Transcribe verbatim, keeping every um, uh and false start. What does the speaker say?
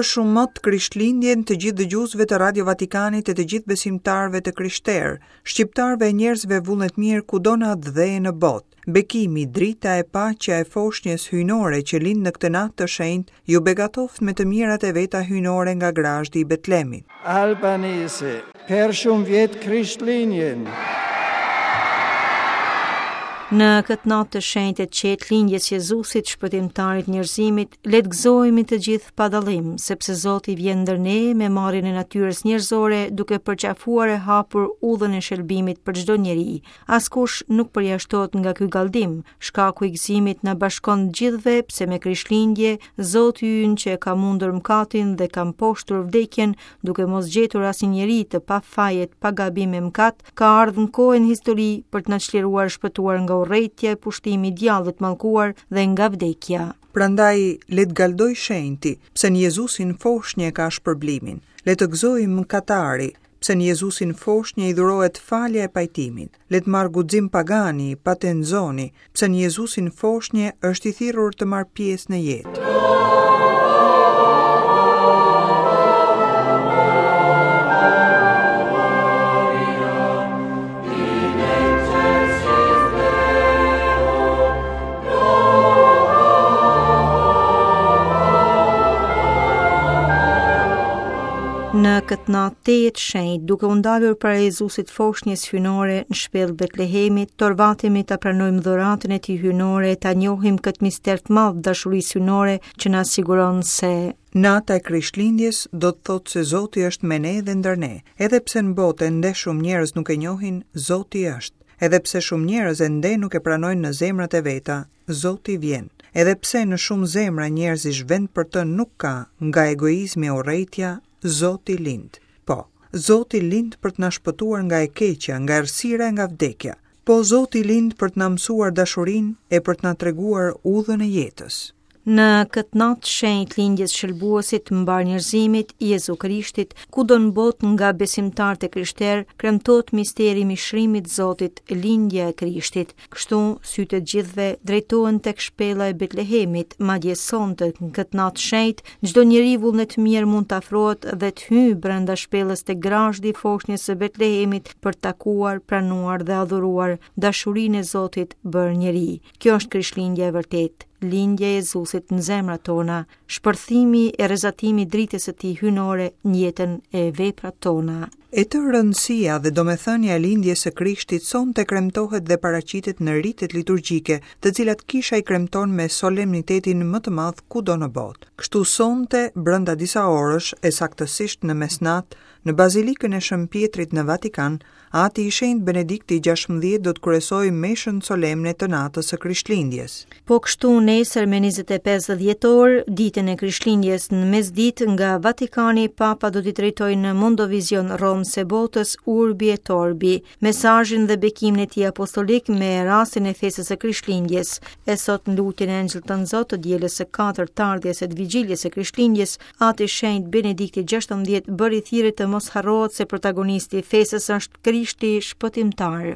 Për shumë mot Krishtlindjen të gjithë dëgjuesve të Radio Vatikanit e të gjithë besimtarëve të krishterë, shqiptarëve e njerëzve vullnetmirë kudo në atdhe e në botë. Bekimi, drita e paqja e foshnjës hyjnore që lind në këtë natë të shenjtë, ju begatoftë me të mirat e veta hyjnore nga grazhdi i Betlemit. Albanese, per shumë vjet Krishtlindjen. Në këtë natë të shenjtë e qetë lindjes Jezusit, shpëtimtarit njerëzimit, le të gëzohemi të gjithë pa dallim, sepse Zoti vjen ndër ne me marrjen e natyrës njerëzore, duke përqafuar e hapur udhën e shëlbimit për çdo njeri. Askush nuk përjashtohet nga ky galldim. Shkaku i gëzimit na bashkon të gjithëve, pse me Krishtlindje, Zoti ynë që e ka mundur mëkatin dhe ka mposhtur vdekjen, duke mos gjetur asnjë njeri të pa fajet, pa gabim e mëkat, ka ardhur në kohën histori për të na çliruar shpëtuar nga urrejtja e pushtimi i djallit mallkuar dhe nga vdekja. Prandaj le të galdoj shenjti, pse në Jezusin foshnjë ka shpërblimin. Le të gëzojë mëkatari, pse në Jezusin foshnjë i dhurohet falja e pajtimit. Le të marrë guxim pagani, patenzoni, pse në Jezusin foshnjë është i thirrur të marrë pjesë në jetë. Në këtë natë tejet shenjtë, duke u ndalur para Jezusit foshnjës hyjnore në shpellë Betlehemit, torvatemi ta pranojmë dhuratën e tij hyjnore, ta njohim këtë mister të madh dashurisë hyjnore që na siguron se Nata e Krishtlindjes do të thotë se Zoti është me ne dhe ndër ne. Edhe pse në botë ende shumë njerëz nuk e njohin, Zoti është. Edhe pse shumë njerëz ende nuk e pranojnë në zemrat e veta, Zoti vjen. Edhe pse në shumë zemra njerëzish vend për të nuk ka, nga egoizmi e urrejtja, Zoti lind. Po, Zoti lind për të na shpëtuar nga e keqja, nga errësira e nga vdekja. Po, Zoti lind për të na mësuar dashurinë e për të na treguar udhën e jetës. Në këtë natë shenjtë lindjes shëlbuesit mbar njerëzimit, Jezu Krishtit, kudo në botë nga besimtarët e krishterë, kremtohet misteri i mishrimit Zotit, lindja e Krishtit. Kështu, sytë e gjithëve drejtohen tek shpella e Betlehemit, madje sonte në këtë natë shenjtë, çdo njeri vullnet mirë mund të afrohet dhe të hyjë brenda shpellës tek grazhdi i foshnjës së Betlehemit për të takuar, pranuar dhe adhuruar dashurinë e Zotit bërë njeri. Kjo është Krishtlindja e vërtetë, lindja e Jezusit në zemrat tona, shpërthimi e rrezatimi i dritës së tij hyjnore në jetën e veprat tona. E tërë rëndësia dhe domethënia e lindjes së Krishtit sonte kremtohet dhe paraqitet në ritet liturgjike, të cilat kisha i kremton me solemnitetin më të madh kudo në botë. Kështu sonte, brenda disa orësh, e saktësisht në mesnatë, në Bazilikën e Shën Pietrit në Vatikan, Ati i Shenjtë Benedikti gjashtëmbëdhjetë do të kryesojë meshën solemne të natës së Krishtlindjes. Po kështu nesër me njëzet e pesë dhjetor, ditën e Krishtlindjes në mesditë nga Vatikani, Papa do t'i drejtojë në Mondovision Romë se botës Urbi et Orbi, mesazhin dhe bekimin e tij apostolik me rastin e festës së Krishtlindjes. E sot në lutjen e Engjëllit të Zot të dielës së katërt të ardhjes e të vigjiljes së Krishtlindjes, Ati i Shenjtë Benedikti gjashtëmbëdhjetë bëri thirrje të mos harrohet se protagonisti i festës është Krishti shpëtimtar.